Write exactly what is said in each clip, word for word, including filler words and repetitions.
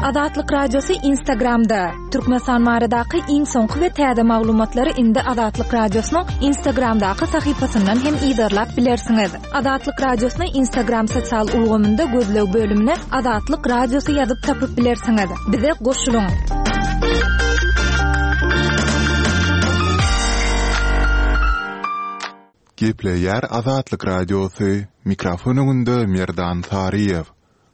Azatlyk Radiosy Instagramda. Türkmenistan baradaky iň soňky we täze maglumatlary indi Azatlyk Radiosynyň Instagramdaky sahypasyndan hem yzarlap bilersiňiz. Azatlyk Radiosyny Instagram sosial ulgamynda gözleg bölümine Azatlyk Radiosy ýazyp tapyp bilersiňiz. Bize goşulyň. Gepleýär Azatlyk Radiosy, mikrofon öňünde Merdan Saryýew.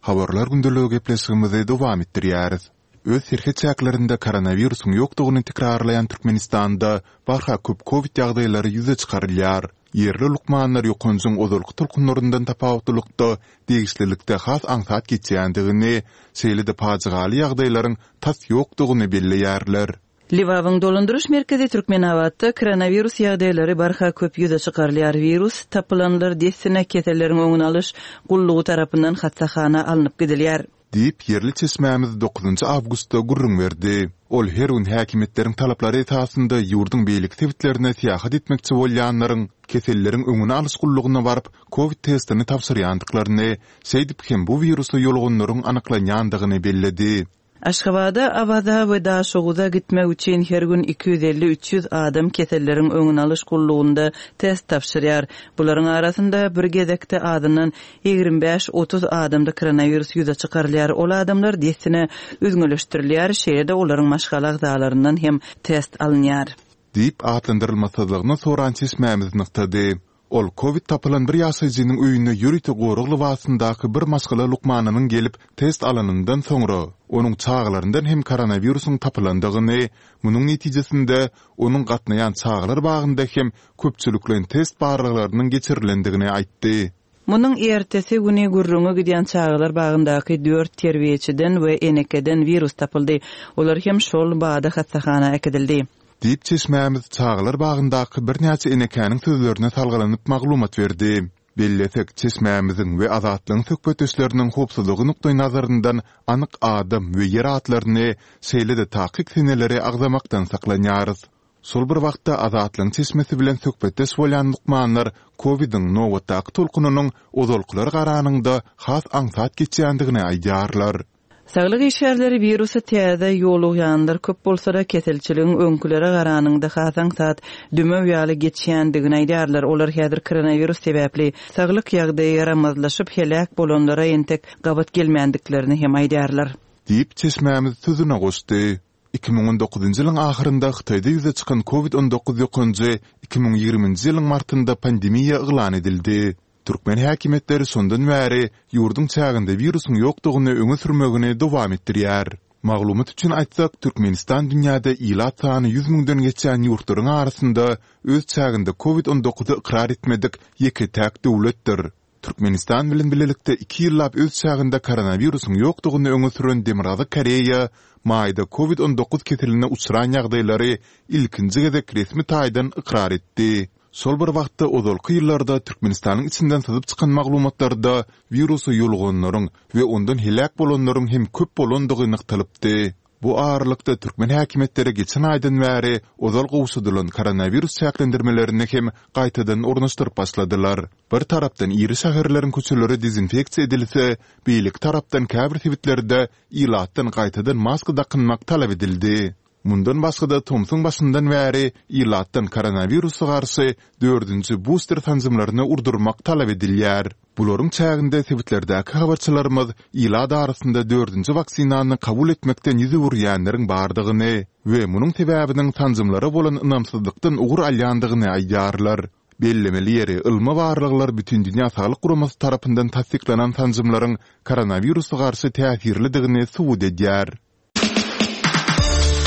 Habarlar gündeligi gepleşigimizi dowam etdirýäris. Öz serhet çäklerinde koronawirusyň ýokdugyny tekrarlaýan Türkmenistanda barha köp kowid ýagdaýlary ýüze çykarylýar. Ýerli lukmanlar ýokanjyň ozalky tolkunlaryndan tapawutlylykda degişlilikde has aňsat geçýändigini, şeýle-de pajygaly ýagdaýlaryň tas ýokdugyny belleýärler. Lebabyň dolandyryş merkezi Türkmenabatda koronawirus ýagdaýlary barha köp ýüze çykarylýar. Wirus tapylanlar dessine keselleriň öňüni alyş gullugy tarapyndan hassahana alnyp gidilýär. Diýip, ýerli çeşmämiz dokuzynjy awgustda gürrüň berdi. Ol her gün häkimiýetleriň talaplary esasynda ýurduň beýleki sebitlerine syýahat etmekçi bolýanlaryň keselleriň öňüni alyş gullugyna baryp, kowid testini tabşyrýandyklaryny, şeýdip hem bu wirusa ýoluganlaryň anyklanýandygyny belledi. Aşgabada, Awaza we Daşoguza gitmek üçin her gün iki ýüz elli-üç ýüz adam keselleriň öňüni alyş gullugynda test tabşyrýar. Bularyň arasynda bir gezekde azyndan ýigrimi bäş-otuz adamda koronawirus ýüze çykarylýar. Ol adamlar dessine üzňeleşdirilýär, şeýle-de olaryň maşgala agzalaryndan hem test alynýar. Diýip, atlandyrylmasyzlygyny soran çeşmämiz nygtady. Ol kowid tapylan bir ýaşaýjynyň öýüne ýörite gorag lybasyndaky bir maşgala lukmanynyň gelip, test alanyndan soňra, onuň çagalaryndan hem koronawirusyň tapylandygyny, munuň netijesinde, onuň gatnaýan çagalar bagynda hem köpçülikleýin test barlaglarynyň geçirilendigini aýtdy. Munuň ertesi güni gürrüňi gidýän çagalar bagyndaky dört terbiýeçiden we enekeden wirus tapyldy. Olar hem şol bada hassahana äkidildi. Diýip, çeşmämiz çagalar bagyndaky birnäçe enekäniň sözlerine salgylanyp maglumat berdi. Bellesek, çeşmämiziň we Azatlygyň söhbetdeşleriniň howpsuzlygy nukdaýnazaryndan anyk adam we ýer atlaryny, şeýle-de takyk seneleri agzamakdan saklanýarys. Şol bir wagtda, Azatlygyň çeşmesi bilen söhbetdeş bolýan lukmanlar kowidiň nobatdaky tolkunynyň ozalkylara garanyňda has aňsat geçýändigini aýdýarlar. Saglyk işgärleri wirusa täze ýolugýanlar köp bolsa-da, keselçiligiň öňkülere garanyňda has aňsat, dümew ýaly geçýändigini aýdýarlar. Olar häzir koronawirus sebäpli saglyk ýagdaýy ýaramazlaşyp, heläk bolanlara entek gabat gelmändiklerini hem aýdýarlar. Diýip, çeşmämiz sözüne goşdy. Iki müň on dokuzynjy ýylyň ahyrynda Hytaýda ýüze çykan kowid on dokuz ýokanjy iki müň ýigriminji ýylyň martynda pandemiýa yglan edildi. Türkmen häkimiýetleri şondan bäri ýurduň çäginde wirusyň ýokdugyny öňe sürmegini dowam etdirýär. Maglumat üçin aýtsak, Türkmenistan dünýäde ilat sany ýüz müňden geçýän ýurtlaryň arasynda öz çäginde kowid on dokuzy ykrar etmedik ýeke-täk döwletdir. Türkmenistan bilen bilelikde iki ýyllap öz çäginde koronawirusyň ýokdugyny öňe süren Demirgazyk Koreýa maýda kowid on dokuz keseline uçran ýagdaýlary ilkinji gezek resmi taýdan ykrar etdi. Şol bir wagtda ozalky ýyllarda Türkmenistanyň içinden syzyp çykan maglumatlarda wirusa ýoluganlaryň we ondan heläk bolanlaryň hem köp bolandygy nygtalypdy. Bu aralykda türkmen häkimiýetleri geçen aýdan bäri ozal gowşadylan koronawirus çäklendirmelerini hem gaýtadan ornaşdyryp başladylar. Bir tarapdan iri şäherleriň köçeleri dezinfeksiýa edilse, beýleki tarapdan käbir sebitlerde ilatdan gaýtadan maska dakynmak talap edildi. Mundan başga-da tomsuň başyndan bäri ilatdan koronawirusa garşy dördünji buster sanjymlaryny urdurmak talap edilýär. Bularyň çäginde sebitlerdäki habarçylarymyz ilat arasynda dördünji waksinany kabul etmekden ýüz öwürýänleriň bardygyny we munuň sebäbiniň sanjymlara bolan ynamsyzlykdan ugur alýandygyny aýdýarlar. Bellemeli ýeri, ylmy barlaglar Bütindünýä Saglyk Guramasy tarapyndan tassyklanan sanjymlaryň koronawirusa garşy täsirlidigini subut edýär.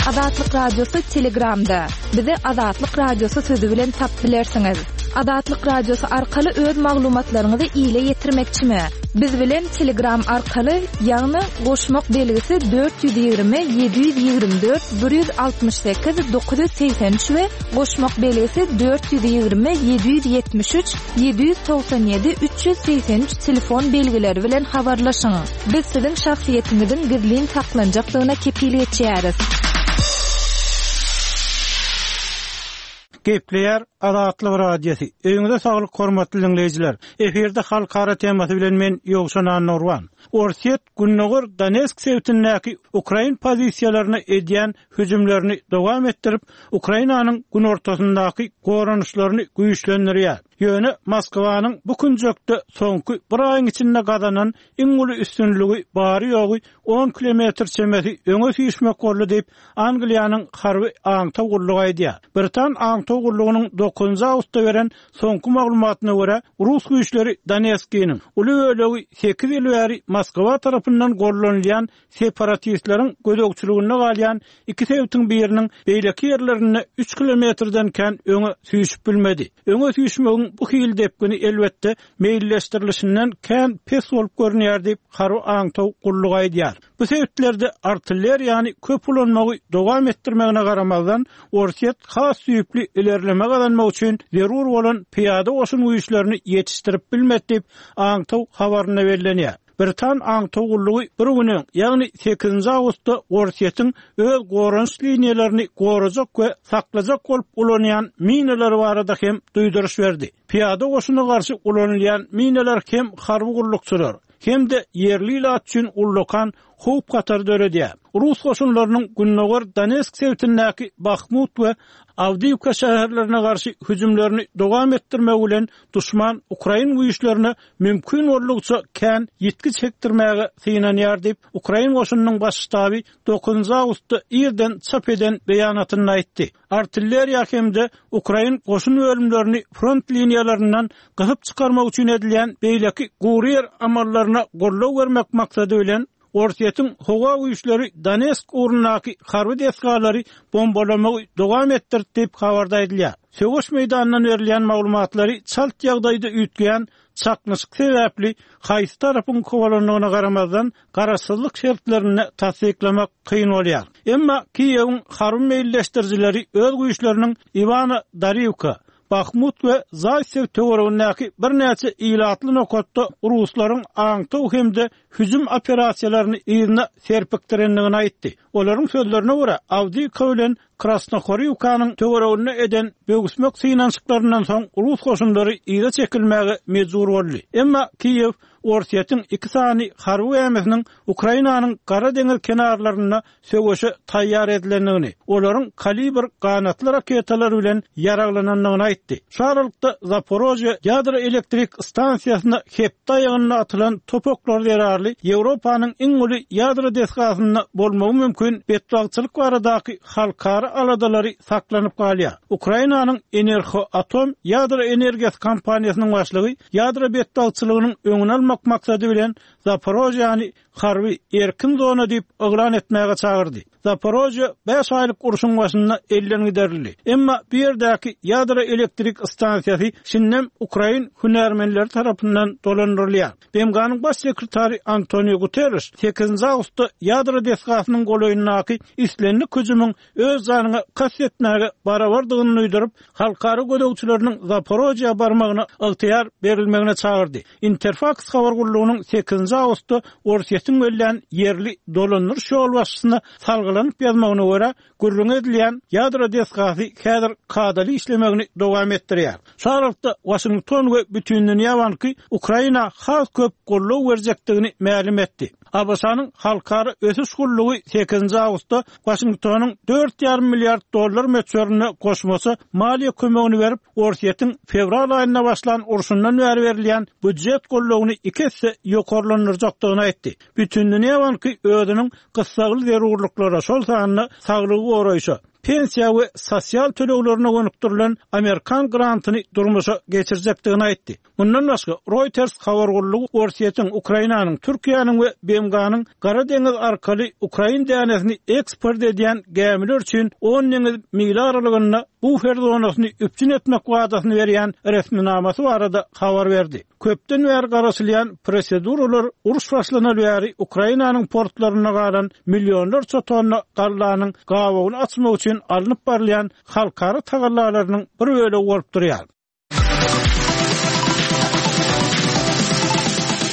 Azatlyk Radiosy Telegramda. Bizi Azatlyk Radiosy sözi bilen tapyp bilersiňiz. Azatlyk Radiosy arkaly öz maglumatlaryňyzy ile ýetirmekçimi? Biz bilen Telegram arkaly, ýagny goşmak belgisi dört ýüz ýigrimi, ýedi ýüz ýigrimi dört, bir ýüz altmyş sekiz, dokuz ýüz segsen üç we goşmak belgisi dört ýüz ýigrimi, ýedi ýüz ýetmiş üç, ýedi ýüz togsan ýedi, üç ýüz segsen üç telefon belgileri bilen habarlaşyň. Biz siziň şahsyýetiňiziň gizlin saklanjakdygyna kepil geçýäris. Gepleýär Azatlyk Radiosy. Öýüňize saglyk hormatly diňleýjiler. Efirde halkara temasy bilen men Ýowşan Annurban. Orsýet Gündogar Donetsk sebitindäki ukrain pozisiýalaryna edýän hüjümlerini dowam etdirip, Ukrainanyň günortasyndaky goranyşlaryny güýçlendirýär. Ýöne Moskwanyň bu künjekde soňky bir aýyň içinde gazanan iň uly üstünligi bary-ýogy on kilometr çemesi öňe süýşmek boldy diýip, Angliýanyň harby aňtaw gullugy aýdýar. Britan aňtaw gullugynyň dokuzynjy awgustda beren soňky maglumatyna görä, rus güýçleri Donetskiniň uly bölegi sekiz ýyl bäri Moskwa tarapyndan gollanylýan separatistleriň gözegçiliginde galýan iki sebitiň biriniň beýleki ýerlerinde üç kilometrden kän öňe süýşüp bilmedi. Öňe süýşmegiň bu hili depgini elbetde meýilleşdirilişinden kän pes bolup görünýär diýip, harby aňtaw gullugy aýdýar. Bu sebitlerde artilleriýany köp ulanmagy dowam etdirmegine garamazdan, Orsýet has düýpli ilerleme gazanmak üçin zerur bolan pyýada goşun güýçlerini ýetişdirip bilmedi diýip, aňtaw habarynda bellenýär. Britan aňtaw gullugy bir gün öň, ýagny sekizinji awgustda Orsýetiň öz goranyş liniýalaryny gorajak we saklajak bolup ulanýan minalary barada hem duýduryş berdi. Pyýada goşuna garşy ulanylýan minalar hem harby gullukçylar, hem-de ýerli ilat üçin ullakan howp hatar döredýär. Rus goşunlarynyň Gündogar Donetsk sebitindäki Bahmut we Awdiýewka şäherlerine garşy hüjümlerini dowam etdirmek bilen duşman ukrain güýçlerine mümkin boldugyça kän ýitgi çekdirmäge synanýar diýip, ukrain goşunynyň baş ştaby dokuzynjy awgustda irden çap eden beýanatynda aýtdy. Artilleriýa hem-de ukrain goşun bölümlerini front liniýalaryndan gysyp çykarmak üçin edilýän beýleki gury ýer amallaryna goldaw bermek maksady bilen Orsýetiň howa güýçleri Donetsk ugrundaky harby desgalary bombalamagy dowam etdirdi diýip habarda aýdylýar. Söweş meýdanyndan berilýän maglumatlary çalt ýagdaýda üýtgeýän çaknyşyk sebäpli haýsy tarapyň kowalandygyna garamazdan garaşsyzlyk şertlerinde tassyklamak kyn bolýar. Emma Kiýewiň harby meýilleşdirijileri öz güýçleriniň Iwana Dariwka, Bahmut we Zaýsew töweregindäki birnäçe ilatly nokatda ruslaryň aňtaw hem-de hüjüm operasiýalaryny yzyna serpikdirendigini aýtdy. Olaryň sözlerine görä, Awdiýewka bilen Krasnohorivkanyň töwereginde eden böwüsmek synanyşyklaryndan soň rus goşunlary yza çekilmäge mejbur boldy. Emma Kiýew Orsýetiň iki sany harby gämisiniň Ukrainanyň Gara deňiz kenarlarynda söweşe taýýar edilendigini, olaryň kalibr ganatly raketalar bilen ýaraglanandygyny aýtdy. Şu aralykda Zaporožýe ýadro elektrik stansiýasyna hepde aýagynda atylan top oklary zerarly Ýewropanyň iň uly ýadro desgasynda bolmagy mümkin betbagtçylyk baradaky halkara aladalary saklanyp galýar. Ukrainanyň Energoatom ýadro energiýasy kompaniýasynyň başlygy ýadro betbagtçylygynyň öňüni almak maksady bilen Zaporožýany harby erkin zona diýip yglan etmäge çagyrdy. Zaporožýe bäş aýlyk urşuň başynda elden giderildi. Emma bu ýerdäki ýadro elektrik stansiýasy şindem ukrain hünärmenleri tarapyndan dolandyrylýar. B M G-nyň baş sekretary Antonio Guterres sekizinji awgustda ýadro desgasynyň golaýyndaky islendik hüjümiň öz janyňa kast etmäge barabardygyny duýduryp, halkara gözegçileriniň Zaporožýa barmagyna ygtyýar berilmegine çagyrdy. Interfax habar gullugynyň sekizinji awgustda Orsýetiň bellän ýerli dolandyryş ýolbaşçysyna salgylanyp ýazmagyna görä, gürrüň edilýän ýadro desgasy häzir kadaly işlemegini dowam etdirýär. Şu aralykda Washington we Bütindünýä Banky Ukraina has köp goldaw berjekdigini mälim etdi. A B Ş-nyň Halkara Ösüş Gullugy sekizinji awgustda Washingtonyň dört ýarym milliard dollar möçberinde goşmaça maliýe kömegini berip, Orsýetiň fewral aýynda başlan urşundan bäri berilýän býujet goldawyny iki esse ýokarlandyrjakdygyny aýtdy. Bütindünýä Banky özüniň gyssagly zerurlyklara, şol sanda saglygy goraýşa, pensiýa we sosial töleglerine gönükdirilen Amerikan grantyny durmuşa geçirjekdigini aýtdy. Mundan başga Reuters habar gullugy Orsýetiň, Ukrainanyň, Türkiýäniň we B M G-nyň Gara deňiz arkaly ukrain dänesini eksport edýän gämiler üçin on deňiz mil aralygynda bufer zonasyny üpjün etmek wadasyny berýän resminamasy barada habar berdi. Köpden bäri garaşylýan proseduralar uruş başlanaly bäri Ukrainanyň portlarynda galan millionlarça tonna gallanyň gabagyny açmak üçin alnyp barylýan halkara tagallalarynyň bir bölegi bolup durýar.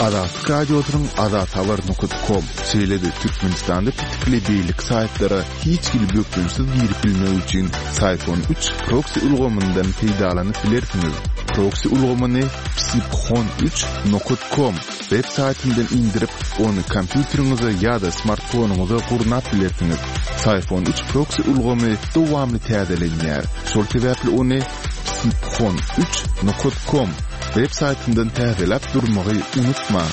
Azatlyk Radiosynyň azathabar nokat kom, şeýle-de Türkmenistanda petikli beýleki saýtlara hiç hili bökdençsiz girip bilmek üçin Syfon üç proksi ulgamyndan peýdalanyp bilersiňiz. Proksi ulgamyny psiphon üç nokat kom web saýtyndan indirip, ony kompýuteriňize ýa-da smartfonyňyza gurnap bilersiňiz. Syfon üç proksi ulgamy dowamly täzelenýär. Şol sebäpli ony psiphon üç nokat kom web saýtyndan täzeläp durmagy unutmaň.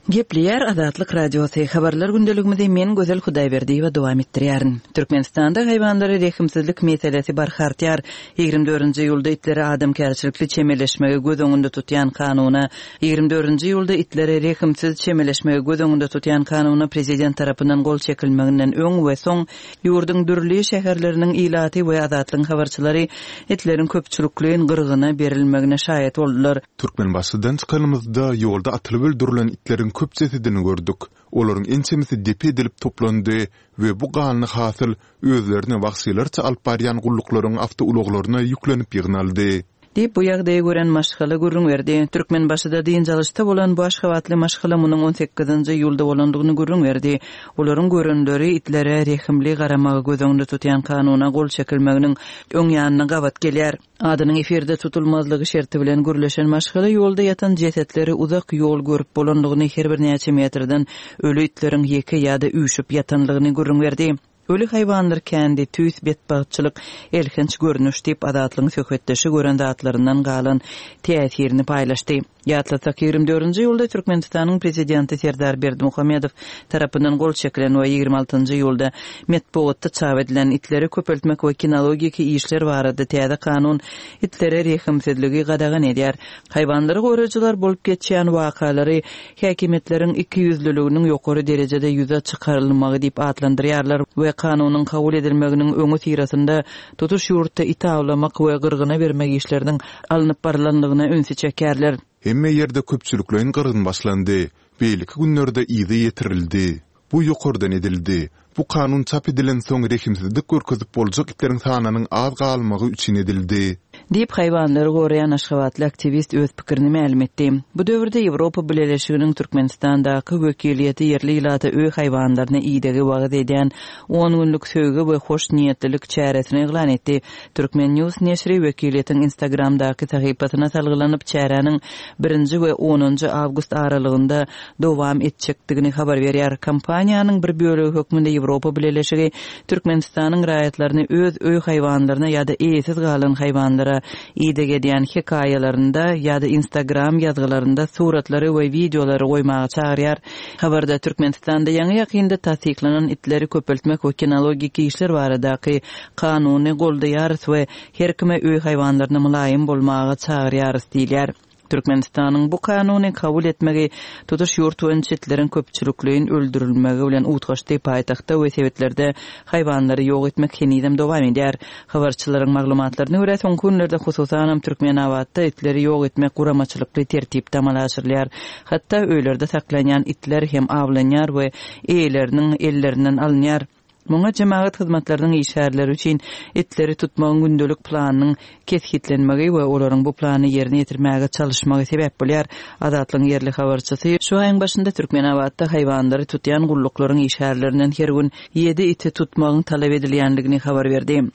Gepleýär Azatlyk Radiosy. Habarlar gündeligimizi men Gözel Hudaýberdiýewa dowam etdirýärin. Türkmenistanda haýwanlara rehimsizlik meselesi barha artýar. Ýigrimi dördünji iýulda itlere adamkärçilikli çemeleşmegi göz öňünde tutýan kanuna, ýigrimi dördünji iýulda itlere rehimsiz çemeleşmegi göz öňünde tutýan kanuna prezident tarapyndan gol çekilmeginden öň we soň ýurduň dürli şäherleriniň ilaty we Azatlygyň habarçylary itleriň köpçülikleýin gyrgyna berilmegine şaýat boldular. Türkmenbaşydan çykanymyzda ýolda atylyp öldürilen itleriň köp jesedini gördük. Olaryň ençemesi depe edilip toplandy we bu ganly hasyl özlerini wagşylarça alyp barýan gulluklaryň awtoulaglaryna ýüklenip ýygnaldy. Diýip, bu ýagdaýy gören maşgala gürrüň berdi. Türkmenbaşyda dynç alyşda bolan bu aşgabatly maşgala munuň on sekizinji iýulda bolandygyny gürrüň berdi. Olaryň görenleri itlere rehimli garamagy göz öňünde tutýan kanuna gol çekilmeginiň öň ýanyna gabat gelýär. Adynyň efirde tutulmazlygy şerti bilen gürleşen maşgala ýolda ýatan jesetleri uzak ýol görüp bolandygyny, her bir näçe metrden ölü itleriň ýeke ýa-da üýşüp ýatanlygyny gürrüň berdi. Ölü haýwanlar kendi, tüýs betbagtçylyk, elhenç görnüş diýip Azatlygyň söhbetdeşi gören zatlaryndan galan täsirini paýlaşdy. Ýatlasak, ýigrimi dördünji iýulda Türkmenistanyň prezidenti Serdar Berdimuhamedow tarapyndan gol çekilen we ýigrimi altynjy iýulda metbugatda çap edilen itleri köpeltmek we kinologiki işler barada täze kanun itlere rehimsizligi gadagan edýär. Haýwanlary goraýjylar bolup geçýän wakalary häkimiýetleriň iki ýüzlüliginiň ýokary derejede ýüze çykarylmagy diýip atlandyrýarlar we kanunyň kabul edilmeginiň öňi syrasynda tutuş ýurtda it awlamak we gyrgyna bermek işleriniň alnyp barylanlygyna ünsi çekerler. Hemme ýerde köpçülikleýin gyrgyn başlandy. Beýleki günlerde yzy ýetirildi. Bu ýokardan edildi. Bu kanun çap edilen soň rehimsizlik görkezip boljak itleriň sanynyň az galmagy üçin edildi. Diýip haýwanlary goraýan aşgabatly aktiwist öz pikirini mälim etdi. Bu döwürde Ýewropa Bileleşiginiň Türkmenistandaky wekiliýeti ýerli ilata öý haýwanlaryny idegi wagyz edýän on günlük söýgi we hoş niýetlilik çäresini yglan etdi. Türkmen News neşiri wekiliýetiň Instagramdaky sahypasyna salgylanyp çäräniň birinji we onunjy awgust aralygynda dowam etjekdigini habar berýär. Kompaniýanyň bir bölegi hökmünde Ýewropa Bileleşigi Türkmenistanyň raýatlaryny öz öý haýwanlaryna ýa-da eýesiz galan haýwanlara ideg edýän hekaýalarynda ýa-da Instagram ýazgylarynda suratlary we wideolary goýmaga çagyrýar. Habarda Türkmenistanda ýaňy ýakynda tassyklanan itleri köpeltmek we kinologik işler baradaky kanuny goldaýarys we her kime öý haýwanlaryna mylaýym bolmaga çagyrýarys diýilýär. Türkmenistanyň bu kanuny kabul etmegi tutuş ýurt boýunça itleriň köpçülikleýin öldürilmegi bilen utgaşdy. Paýtagtda we sebitlerde haýwanlary ýok etmek henizem dowam edýär. Habarçylaryň maglumatlaryna görä, soňky günlerde hususanam Türkmenabatda itleri ýok etmek guramaçylykly tertipde amala aşyrylýar. Hatda öýlerde saklanýan itler hem awlanýar we eýeleriniň ellerinden alynýar. Muňa jemagat hyzmatlarynyň işgärleri üçin itleri tutmagyň gündelik planynyň kesgitlenmegi we olaryň bu plany ýerine ýetirmäge çalyşmagy sebäp bolýar. Azatlygyň ýerli habarçysy şu aýyň başynda Türkmenabatda haýwanlary tutýan gulluklaryň işgärlerinden her gün ýedi iti tutmagyň talap edilýänligini habar berdi.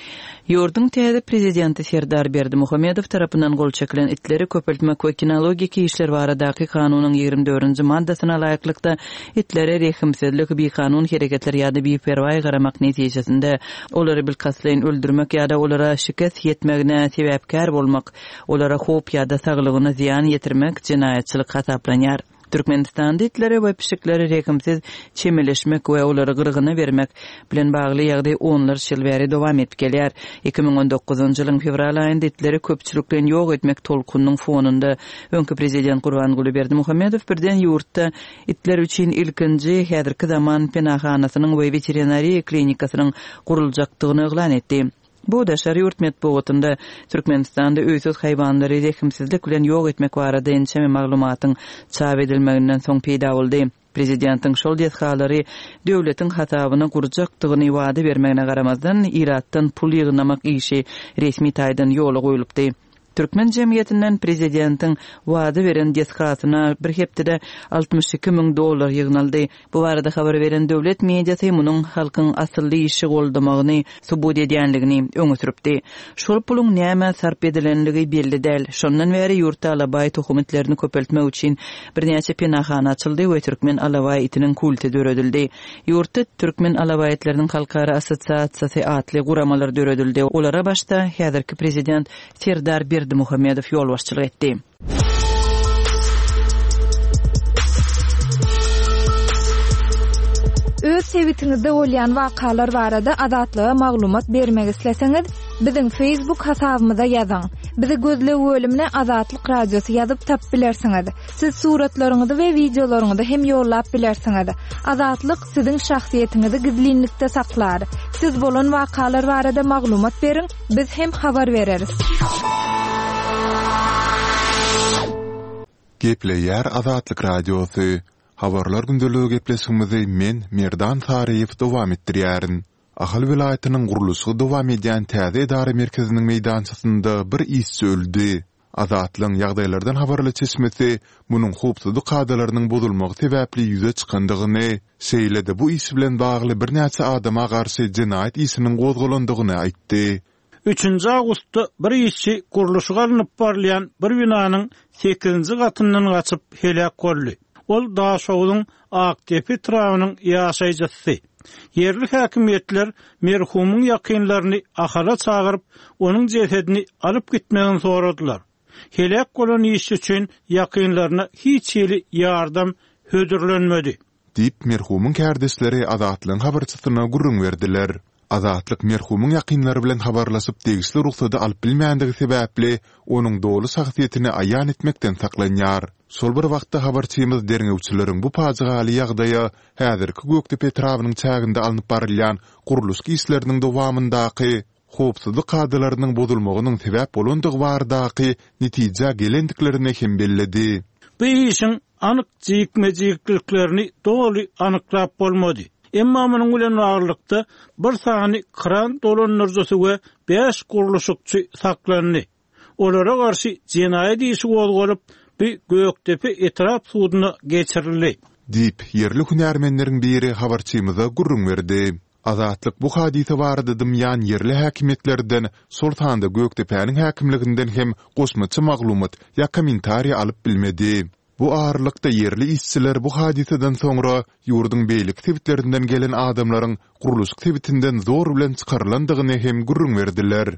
Ýurduň täze prezidenti Serdar Berdimuhamedow tarapyndan gol çekilen itleri köpeltmek we kinologik işler baradaky kanunyň ýigrimi dördünji maddasyna laýyklykda itlere rehimsizlik, bikanun hereketler ýa-da biperwaý garamak netijesinde olary bilkastlaýyn öldürmek ýa-da olara şikes ýetmegine sebäpkär bolmak, olara howp ýa-da saglygyna zyýan ýetirmek jenaýatçylyk hasaplanýar. Türkmenistanda itlere we pişiklere rehimsiz çemeleşmek we olary gyrgyna bermek bilen bagly ýagdaý onlarça ýyl bäri dowam edip gelýär. Iki müň on dokuzynjy ýylyň fewral aýynda itleri köpçülikleýin ýok etmek tolkunynyň fonunda öňki prezident Gurbanguly Berdimuhamedow birden ýurtda itler üçin ilkinji häzirki zaman penahanasynyň we veterinariýa klinikasynyň guruljakdygyny yglan etdi. Bu daşary ýurt metbugatynda Türkmenistanda öýsüz haýwanlary rehimsizlik bilen ýok etmek barada ençeme maglumatyň çap edilmeginden soň peýda boldy. Prezidentiň şol desgalary döwletiň hasabyna gurjakdygyny wada bermegine garamazdan, ilatdan pul ýygnamak işi resmi taýdan ýola goýlupdy. Türkmen jemgyýetinden prezidentiň wada beren desgasyna bir hepdede altmyş iki müň dollar ýygnaldy. Bu barada habar beren döwlet mediasy munuň halkyň asylly işi goldamagyny subut edýänligini öňe sürüpdi. Şol puluň nämä sarp edilenligi belli däl. Şondan bäri ýurtda alabaý tohum itlerini köpeltmek üçin birnäçe penahana açyldy we türkmen alabaý itiniň kulty döredildi. Ýurtda Türkmen alabaý itleriniň halkara assosiasiýasy atly guramalar döredildi. Olara başda häzirki prezident Serdar Berdimuhamedow ýolbaşçylyk etdi. Öz sebitiňizde bolýan wakalar barada Azatlyga maglumat bermek isleseňiz, biziň Facebook hasabymyza ýazyň. Bizi gözleg bölümine Azatlyk Radiosy ýazyp tapyp bilersiňiz. Siz suratlaryňyzy we wideolaryňyzy hem ýollap bilersiňiz. Azatlyk siziň şahsyýetiňizi gizlinlikde saklar. Siz bolan wakalar barada maglumat beriň, biz hem habar bereris. Gepleýär Azatlyk Radiosy. Habarlar gündeligi gepleşigimizi men, Merdan Saryýew dowam etdirýärin. Ahal welaýatynyň gurluşygy dowam edýän täze edara merkeziniň meýdançasynda bir işçi öldi. Azatlygyň ýagdaýlardan habarly çeşmesi munuň howpsuzlyk kadalarynyň bozulmagy sebäpli ýüze çykandygyny, şeýle-de bu iş bilen bagly birnäçe adama garşy jenaýat işiniň gozgalandygyny aýtdy. Üçünji awgustda bir işçi gurluşygy alnyp barylýan bir binanyň sekizinji gatyndan gaçyp heläk boldy. Ol Daşogzuň Akdepe etrabynyň ýaşaýjysy. Ýerli häkimiýetler merhumyň ýakynlaryny Ahala çagyryp, onuň jesedini alyp gitmegini soradylar. Heläk bolan işçi üçin ýakynlaryna hiç hili ýardam hödürlenmedi. Diýip, merhumyň kärdeşleri Azatlygyň habarçysyna gürrüň berdiler. Azatlyk merhumyň ýakynlary bilen habarlaşyp degişli rugsady alyp bilmändigi sebäpli, onuň doly şahsyýetini aýan etmekden saklanýar. Şol bir wagtda habarçymyz derňewçileriň bu pajygaly ýagdaýa häzirki Gökdepe etrabynyň çäginde alnyp barylýan gurluşyk işleriniň dowamyndaky howpsuzlyk kadalarynyň bozulmagynyň sebäp bolandygy baradaky netijä gelendiklerini hem belledi. Bu işiň anyk jikme-jikliklerini doly anyklap bolmady. Emma munuň bilen baglylykda bir sany kran dolandyryjysy we bäş gurluşykçy saklandy. Olara garşy jenaýat işi gozgalyp, bu Gökdepe etrap suduna geçirildi. Diýip, ýerli hünärmenleriň biri habarçymyza gürrüň berdi. Azatlyk bu hadysa barada dymýan ýerli häkimiýetlerden, şol sanda Gökdepäniň häkimliginden hem goşmaça maglumat ýa kommentariý alyp bilmedi. Bu aralykda ýerli işçiler bu hadysadan soňra ýurduň beýleki sebitlerinden gelen adamlaryň gurluşyk sebitinden zor bilen çykarylandygyny hem gürrüň berdiler.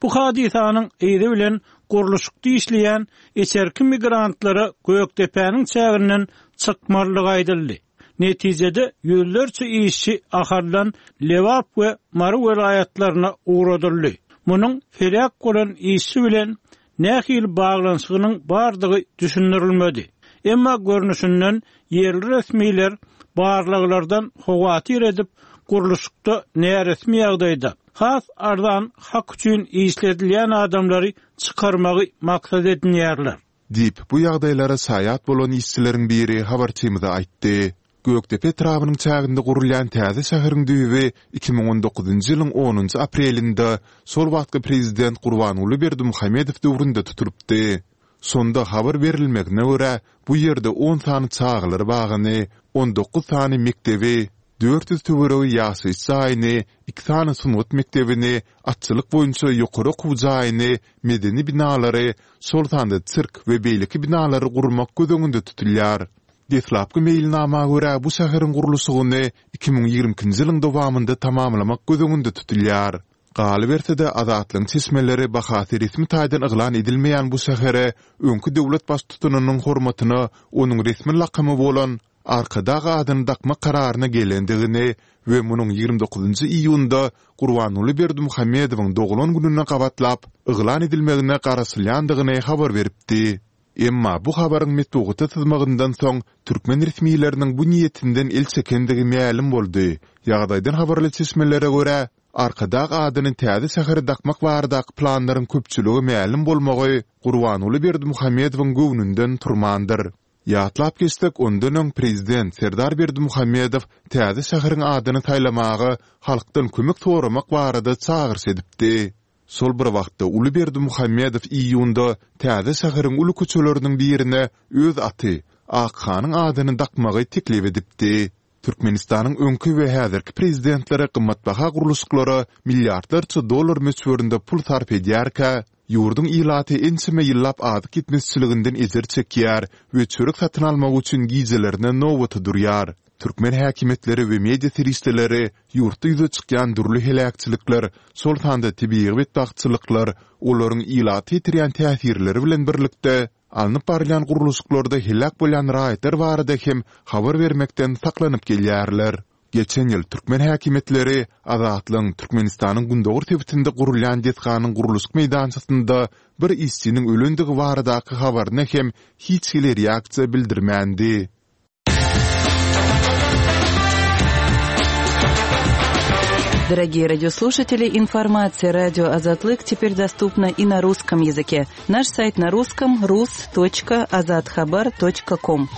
Bu hadysanyň yzy bilen gurluşykda işleýän içerki migrantlara Gökdepäniň çäginden çykmalydygy aýdyldy. Netijede ýüzlerçe işçi Ahaldan Lebap we Mary welaýatlaryna ugradyldy. Munuň heläk bolan işçi bilen nähili baglanyşygynyň bardygy düşündirilmedi. Emma görnüşinden ýerli resmiler barlaglardan howatyr edip, gurluşykda näresmi ýagdaýda has arzan hak üçin işledilýän adamlary çykarmagy maksat edinýärler. Diýip, bu ýagdaýlara şaýat bolan işçileriň biri habarçymyza aýtdy. Gökdepe etrabynyň çäginde gurulýan täze şäheriň düýbi iki müň on dokuzynjy ýylyň onunjy aprelinde şol wagtky prezident Gurbanguly Berdimuhamedow döwründe tutulypdy. Şonda habar berilmegine görä, bu ýerde on sany çagalar bagyny, on dokuz sany mekdebi, dört ýüz töweregi ýaşaýyş jaýyny, iki sany sungat mekdebini, atçylyk boýunça ýokary okuw jaýyny, medeni binalary, şol sanda sirk we beýleki binalary gurmak göz öňünde tutulýar. Deslapky meýilnama görä, bu şäheriň gurluşygyny iki müň ýigrimi ikinji ýylyň dowamynda tamamlamak göz öňünde tutulýar. Galyberse-de, Azatlygyň çeşmeleri bahasy resmi taýdan yglan edilmeýän bu şähere öňki döwlet baştutanynyň hormatyna onuň resmi lakamy bolan Arkadag adyny dakmak kararyna gelendigini we munuň ýigrimi dokuzynjy iýunda Gurbanguly Berdimuhamedowyň doglan gününe gabatlap yglan edilmegine garaşylýandygyny habar beripdi. Emma bu habaryň metbugata syzmagyndan soň türkmen resmileriniň bu niýetinden el çekendigi mälim boldy. Ýagdaýdan habarly çeşmelere görä, Arkadag adyny täze şähere dakmak baradaky planlaryň köpçülige mälim bolmagy Gurbanguly Berdimuhamedowyň göwnünden turmandyr. Ýatlap geçsek, ondan öň prezident Serdar Berdimuhamedow täze şäheriň adyny saýlamaga halkdan kömek soramak barada çagyryş edipdi. Şol bir wagtda uly Berdimuhamedow iýunda täze şäheriň uly köçeleriniň birine öz aty, Akhanyň adyny dakmagy teklip edipdi. Türkmenistanyň öňki we häzirki prezidentleri gymmatbaha gurluşyklara milliardlarça dollar möçberinde pul sarp edýärkä, ýurduň ilaty ençeme ýyllap azyk ýetmezçiliginden ejir çekýär we çörek satyn almak üçin gijelerine nobata durýar. Türkmen häkimiýetleri we media serişdeleri ýurtda ýüze çykýan dürli heläkçilikler, şol sanda tebigy betbagtçylyklar, olaryň ilata ýetirýän täsirleri bilen birlikde, alnyp barylýan gurluşyklarda heläk bolýan raýatlar barada hem habar bermekden saklanyp gelýärler. Geçen ýyl türkmen häkimiýetleri Azatlygyň Türkmenistanyň gündogar sebitinde gurulýan desganyň gurluşyk meýdançasynda bir işçiniň ölendigi baradaky habaryna hem hiç hili reaksiýa bildirmändi. Дорогие радиослушатели, информация радио Азатлык теперь доступна и на русском языке. Наш сайт на русском rus.azathabar.com.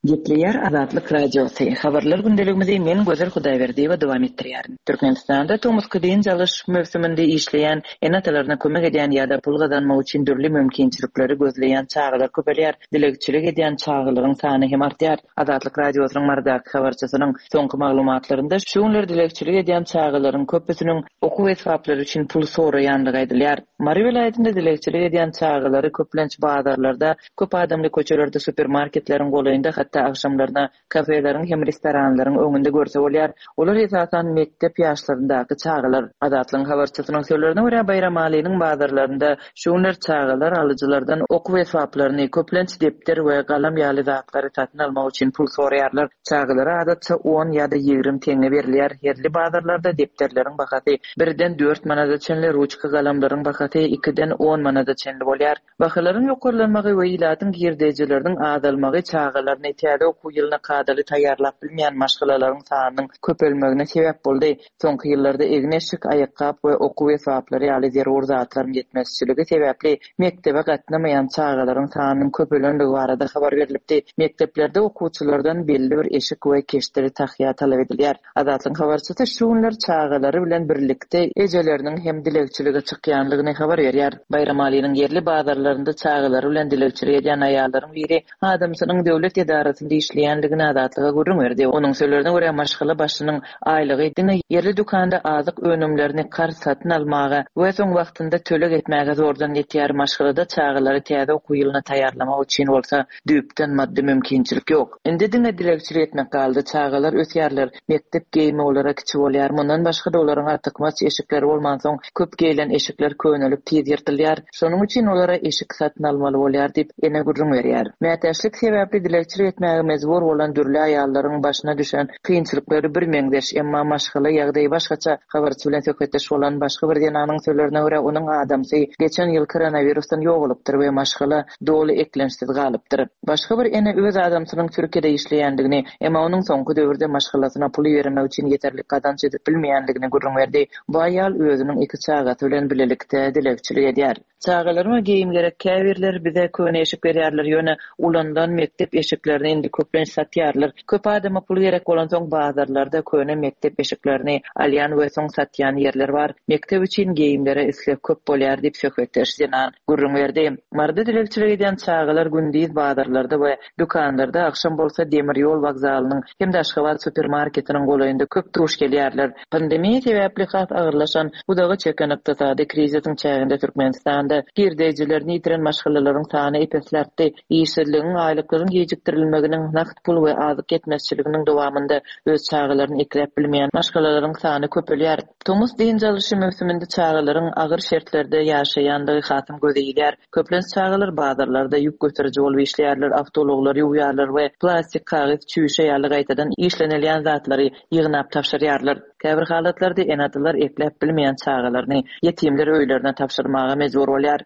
Gepleýär Azatlyk Radiosy. Habarlar gündeligimizi men Gözel Hudaýberdiýewa dowam etdirýärin. Türkmenistanda tomusky dynç alyş möwsüminde işleýän ene-atalaryna kömek edýän ýa-da pul gazanmak üçin dürli mümkinçilikleri gözleýän çagalar köpelýär. Dilegçilik edýän çagalaryň sany hem artýar. Azatlyk Radiosynyň Marydaky habarçysynyň soňky maglumatlarynda şu günler dilegçilik edýän çagalaryň köpüsiniň okuw esbaplary üçin pul soraýandygy aýdylýar. Mary welaýatynda dilegçilik edýän çagalary köplenç bazarlarda, köp adamly köçelerde, supermarketleriň golaýynda, hatda agşamlaryna kafeleriň hem restoranlaryň öňünde görse bolýar. Olar esasan mekdep ýaşlaryndaky çagalar. Azatlygyň habarçysynyň sözlerine görä Baýramalynyň bazarlarynda şu günler çagalar alyjylardan okuw esbaplaryny, köplenç depder we galam ýaly zatlary satyn almak üçin pul soraýarlar. Çagalara adatça on ýa-da ýigrimi teňňe berilýär. Ýerli bazarlarda depderleriň bahasy birden dört manada çenli, ruçka galamlaryň bahasy ikiden on manada çenli bolýar. Bahalaryň ýokarlanmagy we ilatyň girdejileriniň azalmagy çagalaryny täze okuw ýylyna kadaly taýýarlap bilmeýän maşgalalaryň sanynyň köpelmegine sebäp boldy. Soňky ýyllarda egin-eşik, aýakgap we okuw esbaplary ýaly zerur zatlaryň ýetmezçiligi sebäpli mekdebe gatnamaýan çagalaryň sanynyň köpelenligi barada habar berilipdi. Mekdeplerde okuwçylardan belli bir eşik we keşdeli tahýa talap edilýär. Azatlygyň habarçysy şu günler çagalary bilen birlikde ejeleriniň hem dilegçilige çykýanlygyny habar berýär. Baýramalynyň ýerli bazarlarynda çagalary bilen dilegçilik edýän aýallaryň biri adamsynyň döwlet edarasynda işleýänligini Azatlyga gürrüň berdi. Onuň sözlerine görä maşgala başynyň aýlygy diňe ýerli dükanda azyk önümlerini karz satyn almaga we soň wagtynda töleg etmäge zordan ýetýär. Maşgalada çagalary täze okuw ýylyna taýýarlamak üçin bolsa düýpden maddy mümkinçilik ýok. Indi diňe dilegçilik etmek galdy. Çagalar ösýärler. Mekdep geýimi olara kiçi bolýar. Mundan başga-da olaryň artykmaç eşikleri bolmansoň köp geýilen eşikler könelip tiz ýyrtylýar. Şonuň üçin olara eşik satyn almaly bolýar diýip ene gürrüň berýär. Mätäçlik sebäpli dilegçilik etmäge mejbur bolan dürli aýallaryň başyna düşen kynçylyklary bir meňzeş, emma maşgala ýagdaýy başgaça. Habarçy bilen söhbetdeş bolan başga bir zenanyň sözlerine görä onuň adamsy geçen ýyl koronavirusdan ýogalypdyr we maşgala doly eklençsiz galypdyr. Başga bir ene öz adamsynyň Türkiýede işleýändigini, emma onuň soňky döwürde maşgalasyna pul bermek üçin ýeterlik gazanç edip bilmeýändigini gürrüň berdi. Bu aýal özüniň iki çagasy bilen birlikde dilegçilik edýär. Çagalaryma geýim gerek, käbirler bize köne eşik berýärler, ýöne ulandan mekdep eşiklerini indi köplenç satýarlar. Köp adama pul gerek bolansoň bazarlarda köne mekdep eşiklerini alýan we soň satýan ýerler bar. Mekdep üçin geýimlere isleg köp bolýar diýip söhbetdeş zenan gürrüň berdi. Maryda dilegçilik edýän çagalar gündiz bazarlarda we dükanlarda, akşam bolsa demir ýol wokzalynyň hem-de Aşgabat supermarketiniň golaýynda köp duş gelýärler. Pandemiýa sebäpli has agyrlaşan uzaga çeken ykdysady krizisiň çäginde Türkmenistanda girdejilerini ýitiren maşgalalaryň sany epesli artdy. Işsizligiň, aýlyklaryň gijikdirilmeginiň, nagt pul we azyk ýetmezçiliginiň dowamynda öz çagalaryny ekläp bilmeýän maşgalalaryň sany köpelýär. Tomus dynç alyşy möwsüminde çagalaryň agyr şertlerde ýaşaýandygy hasam göze ilýär. Köplenç çagalar bazarlarda ýük göteriji bolup işleýärler, awtoulaglar ýuwýarlar we plastik, kagyz, çüýşe ýaly gaýtadan işlenilýän zatlary ýygnap tabşyrýarlar. Käbir halatlarda ene-atalar ekläp bilmeýän çagalaryny ýetimler öýlerine tabşyrmaga mejbur bolýar.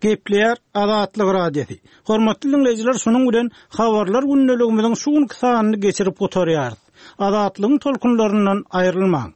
Gepleýär Azatlyk Radiosy. Hormatly dinleýjiler, şunuň bilen habarlar gündeligimiziň şu günki sanyny geçirip gutarýarys. Azatlygyň tolkunlaryndan aýrylmaň.